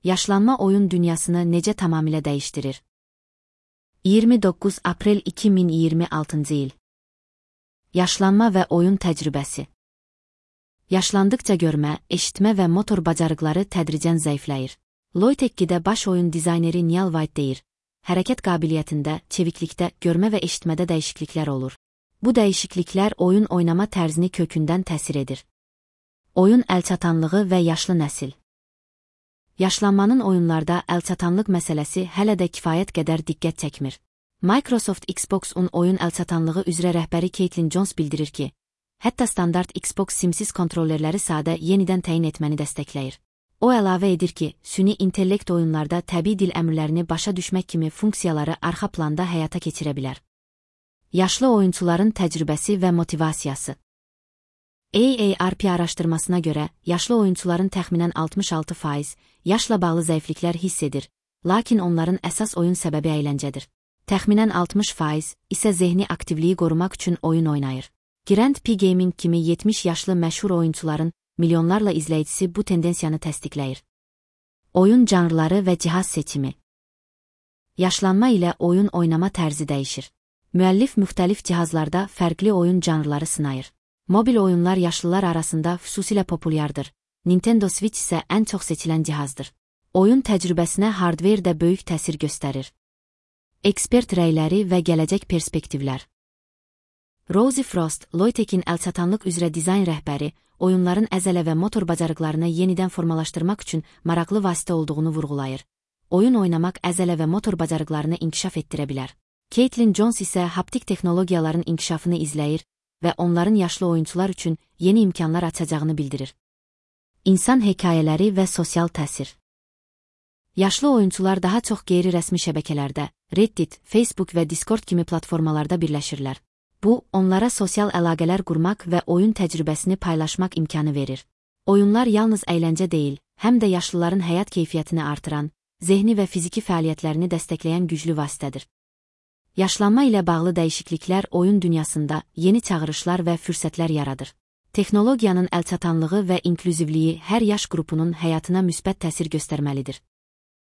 Yaşlanma oyun dünyasını necə tamamilə dəyişdirir? 29 aprel 2026 il. Yaşlanma və oyun təcrübəsi. Yaşlandıqca görmə, eşitmə və motor bacarıqları tədricən zəifləyir. Logitech-də baş oyun dizayneri Neal White deyir, hərəkət qabiliyyətində, çeviklikdə, görmə və eşitmədə dəyişikliklər olur. Bu dəyişikliklər oyun oynama tərzini kökündən təsir edir. Oyun əlçatanlığı və yaşlı nəsil. Yaşlanmanın oyunlarda əlçatanlıq məsələsi hələ də kifayət qədər diqqət çəkmir. Microsoft Xbox-un oyun əlçatanlığı üzrə rəhbəri Caitlin Jones bildirir ki, hətta standart Xbox simsiz kontrollerləri sadə yenidən təyin etməni dəstəkləyir. O əlavə edir ki, süni intellekt oyunlarda təbii dil əmrlərini başa düşmək kimi funksiyaları arxa planda həyata keçirə bilər. Yaşlı oyunçuların təcrübəsi və motivasiyası. AARP araşdırmasına görə, yaşlı oyunçuların təxminən 66% yaşla bağlı zəifliklər hiss edir, lakin onların əsas oyun səbəbi əyləncədir. Təxminən 60% isə zehni aktivliyi qorumaq üçün oyun oynayır. Grand P Gaming kimi 70 yaşlı məşhur oyunçuların milyonlarla izləyicisi bu tendensiyanı təsdiqləyir. Oyun janrları və cihaz seçimi. Yaşlanma ilə oyun oynama tərzi dəyişir. Müəllif müxtəlif cihazlarda fərqli oyun janrları sınayır. Mobil oyunlar yaşlılar arasında xüsusilə populyardır. Nintendo Switch isə ən çox seçilən cihazdır. Oyun təcrübəsinə hardware də böyük təsir göstərir. Ekspert rəyləri və gələcək perspektivlər. Rosie Frost, Logitech-in əlçatanlıq üzrə dizayn rəhbəri, oyunların əzələ və motor bacarıqlarını yenidən formalaşdırmaq üçün maraqlı vasitə olduğunu vurğulayır. Oyun oynamaq əzələ və motor bacarıqlarını inkişaf etdirə bilər. Caitlin Jones isə haptik texnologiyaların inkişafını izləyir və onların yaşlı oyunçular üçün yeni imkanlar açacağını bildirir. İnsan hekayələri və sosial təsir. Yaşlı oyunçular daha çox qeyri-rəsmi şəbəkələrdə, Reddit, Facebook və Discord kimi platformalarda birləşirlər. Bu, onlara sosial əlaqələr qurmaq və oyun təcrübəsini paylaşmaq imkanı verir. Oyunlar yalnız əyləncə deyil, həm də yaşlıların həyat keyfiyyətini artıran, zehni və fiziki fəaliyyətlərini dəstəkləyən güclü vasitədir. Yaşlanma ilə bağlı dəyişikliklər oyun dünyasında yeni çağırışlar və fürsətlər yaradır. Texnologiyanın əlçatanlığı və inklüzivliyi hər yaş qrupunun həyatına müsbət təsir göstərməlidir.